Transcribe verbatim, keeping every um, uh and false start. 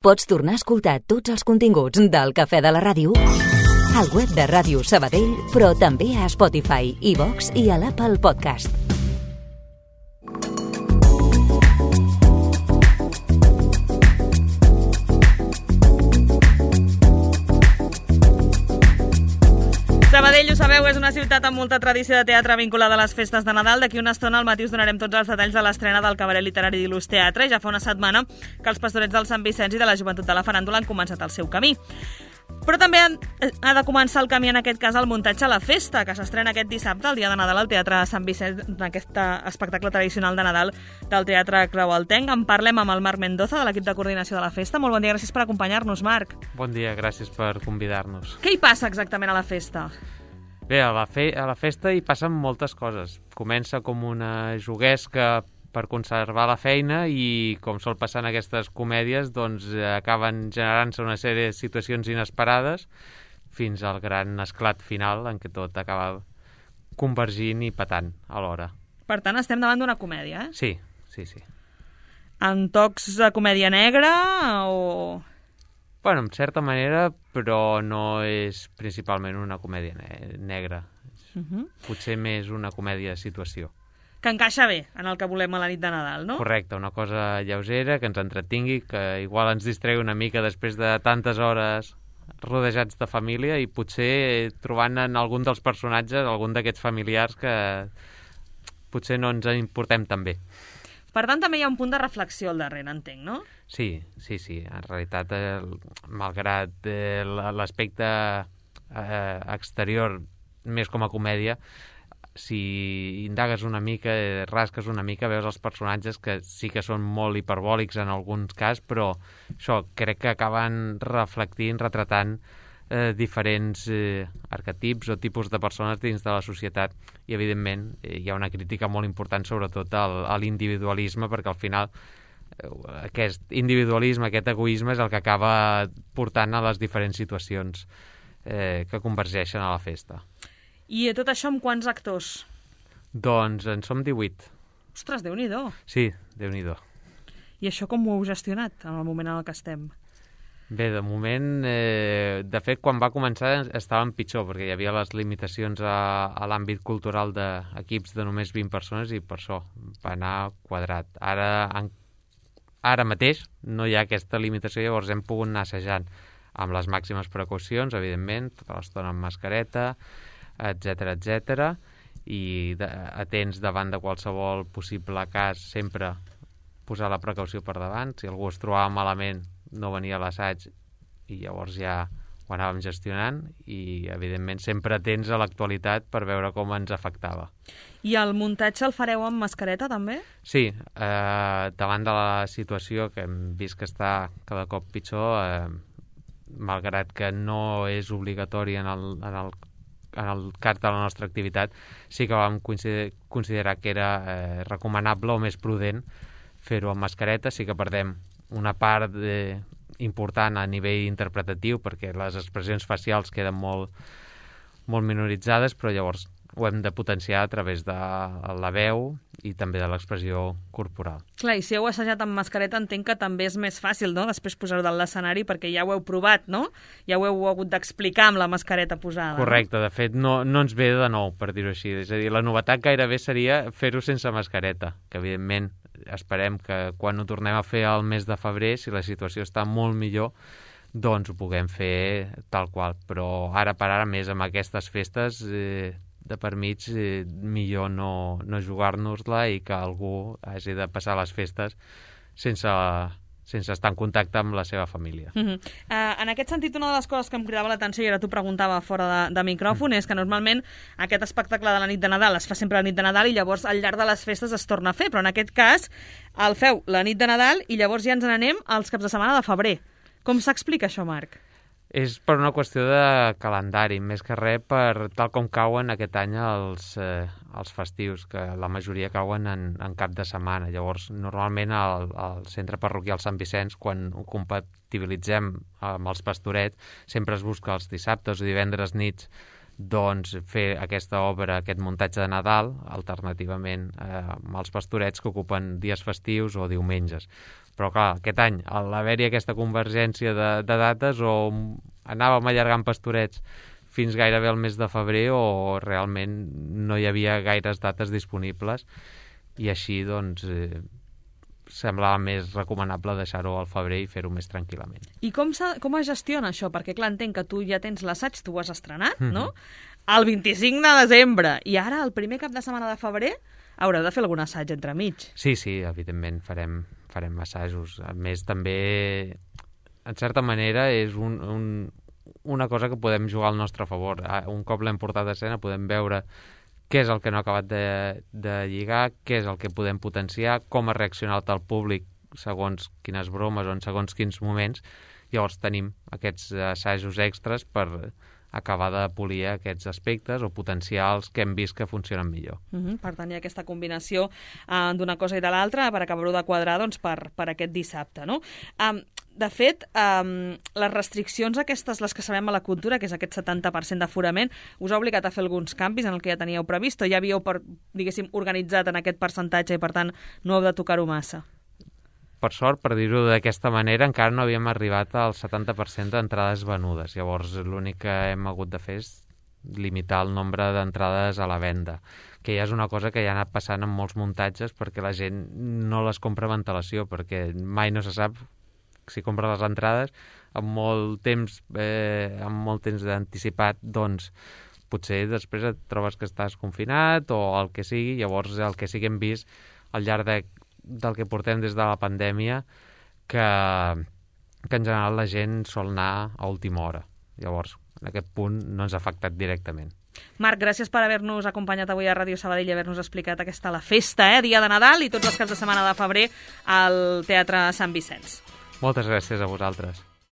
Pots tornar a escoltar tots els continguts del Cafè de la Ràdio al web de Ràdio Sabadell, però també a Spotify, iVox i a l'Apple Podcast. Sabadell, ho sabeu, és una ciutat amb molta tradició de teatre vinculada a les festes de Nadal. D'aquí una estona al matí us donarem tots els detalls de l'estrena del cabaret literari d'Il·lus Teatre. Ja fa una setmana que els pastorets del Sant Vicenç i de la joventut de la faràndula han començat el seu camí. Però també ha de començar el camí, en aquest cas, el muntatge a la festa, que s'estrena aquest dissabte, el dia de Nadal, al Teatre Sant Vicenç, en aquest espectacle tradicional de Nadal del Teatre Creualtenc. En parlem amb el Marc Mendoza, de l'equip de coordinació de la festa. Molt bon dia, gràcies per acompanyar-nos, Marc. Bon dia, gràcies per convidar-nos. Què hi passa exactament a la festa? Bé, a la, fe a la festa hi passen moltes coses. Comença com una juguesca per conservar la feina i, com sol passar en aquestes comèdies, doncs acaben generant-se una sèrie de situacions inesperades fins al gran esclat final en què tot acaba convergint i patant alhora. Per tant, estem davant d'una comèdia, eh? Sí, sí, sí. En tocs de comèdia negra o...? Bueno, en certa manera, però no és principalment una comèdia ne negra. Uh-huh. Potser més una comèdia de situació. Que encaixa bé en el que volem a la nit de Nadal, no? Correcte, una cosa lleugera, que ens entretingui, que igual ens distregui una mica després de tantes hores rodejats de família i potser trobant en algun dels personatges, algun d'aquests familiars que potser no ens en importem tan bé. Per tant, també hi ha un punt de reflexió al darrere, entenc, no? Sí, sí, sí. En realitat, eh, malgrat eh, l'aspecte eh, exterior més com a comèdia, si indagues una mica, eh, rasques una mica, veus els personatges que sí que són molt hiperbòlics en alguns casos, però això crec que acaben reflectint, retratant eh, diferents eh, arquetips o tipus de persones dins de la societat. I, evidentment, eh, hi ha una crítica molt important, sobretot al, a l'individualisme, perquè al final eh, aquest individualisme, aquest egoisme és el que acaba portant a les diferents situacions eh, que convergeixen a la festa. I tot això amb quants actors? Doncs en som divuit. Ostres, Déu-n'hi-do. Sí, Déu-n'hi-do. I això com ho heu gestionat en el moment en el que estem? Bé, de moment, eh, de fet, quan va començar estàvem pitjor, perquè hi havia les limitacions a, a l'àmbit cultural d'equips de només vint persones i per això va anar quadrat. Ara, en, ara mateix no hi ha aquesta limitació, llavors hem pogut anar assajant amb les màximes precaucions, evidentment, tota l'estona amb mascareta, etcètera, etcètera, i de, atents davant de qualsevol possible cas, sempre posar la precaució per davant. Si algú es trobava malament, no venia a l'assaig i llavors ja ho anàvem gestionant i, evidentment, sempre atents a l'actualitat per veure com ens afectava. I el muntatge el fareu amb mascareta, també? Sí, eh, davant de la situació que hem vist que està cada cop pitjor, eh, malgrat que no és obligatori en el, en el en el cas de la nostra activitat, sí que vam consider considerar que era eh, recomanable o més prudent fer-ho amb mascareta. Sí que perdem una part de, important a nivell interpretatiu perquè les expressions facials queden molt, molt minoritzades, però llavors ho hem de potenciar a través de la veu i també de l'expressió corporal. Clar, i si heu assajat amb mascareta entenc que també és més fàcil, no?, després posar-ho dalt l'escenari perquè ja ho heu provat, no? Ja ho heu hagut d'explicar amb la mascareta posada. Correcte, no? De fet no, no ens ve de nou, per dir-ho així. És a dir, la novetat gairebé seria fer-ho sense mascareta, que evidentment esperem que quan ho tornem a fer al mes de febrer, si la situació està molt millor, doncs ho puguem fer tal qual. Però ara per ara, més amb aquestes festes eh, de per mig, eh, millor no, no jugar-nos-la i que algú hagi de passar les festes sense, sense estar en contacte amb la seva família. Uh-huh. uh, en aquest sentit, una de les coses que em cridava l'atenció, i ara t'ho preguntava fora de, de micròfon, uh-huh. és que normalment aquest espectacle de la nit de Nadal es fa sempre la nit de Nadal i llavors al llarg de les festes es torna a fer, però en aquest cas el feu la nit de Nadal i llavors ja ens n'anem als caps de setmana de febrer. Com s'explica això, Marc? És per una qüestió de calendari, més que res per tal com cauen aquest any els, eh, els festius, que la majoria cauen en, en cap de setmana. Llavors, normalment al, al centre parroquial Sant Vicenç, quan ho compatibilitzem amb els pastorets, sempre es busca els dissabtes o divendres nits doncs fer aquesta obra, aquest muntatge de Nadal, alternativament eh, amb els pastorets que ocupen dies festius o diumenges. Però clar, aquest any, a l'haver-hi aquesta convergència de, de dates, o anàvem allargant pastorets fins gairebé el mes de febrer, o realment no hi havia gaires dates disponibles, i així, doncs, eh, semblava més recomanable deixar-ho al febrer i fer-ho més tranquil·lament. I com, com es gestiona això? Perquè, clar, entenc que tu ja tens l'assaig, tu ho has estrenat, Mm-hmm. no? El vint-i-cinc de desembre, i ara, el primer cap de setmana de febrer, haureu de fer algun assaig entremig. Sí, sí, evidentment farem, farem assajos. A més, també, en certa manera, és un, un, una cosa que podem jugar al nostre favor. Un cop l'hem portat a escena podem veure què és el que no ha acabat de, de lligar, què és el que podem potenciar, com ha reaccionat el públic segons quines bromes o en segons quins moments. Llavors tenim aquests assajos extras per acabar de polir aquests aspectes o potencials que hem vist que funcionen millor. Uh-huh. Per tant, hi ha aquesta combinació uh, d'una cosa i de l'altra per acabar-ho de quadrar, doncs, per, per aquest dissabte, no? Um, de fet, um, les restriccions aquestes, les que sabem a la cultura, que és aquest setanta per cent d'aforament, us ha obligat a fer alguns canvis en el que ja teníeu previst, o ja havíeu, per, diguéssim, organitzat en aquest percentatge i, per tant, no heu de tocar-ho massa? Per sort, per dir-ho d'aquesta manera, encara no havíem arribat al setanta per cent d'entrades venudes. Llavors, l'únic que hem hagut de fer és limitar el nombre d'entrades a la venda, que ja és una cosa que ja ha anat passant en molts muntatges perquè la gent no les compra amb antelació, perquè mai no se sap si compra les entrades amb molt temps, eh, amb molt temps d'anticipat, doncs potser després et trobes que estàs confinat o el que sigui. Llavors, el que sí que hem vist al llarg de del que portem des de la pandèmia, que, que en general la gent sol anar a última hora. Llavors, en aquest punt no ens ha afectat directament. Marc, gràcies per haver-nos acompanyat avui a Ràdio Sabadell i haver-nos explicat aquesta la festa, eh? Dia de Nadal i tots els caps de setmana de febrer al Teatre Sant Vicenç. Moltes gràcies a vosaltres.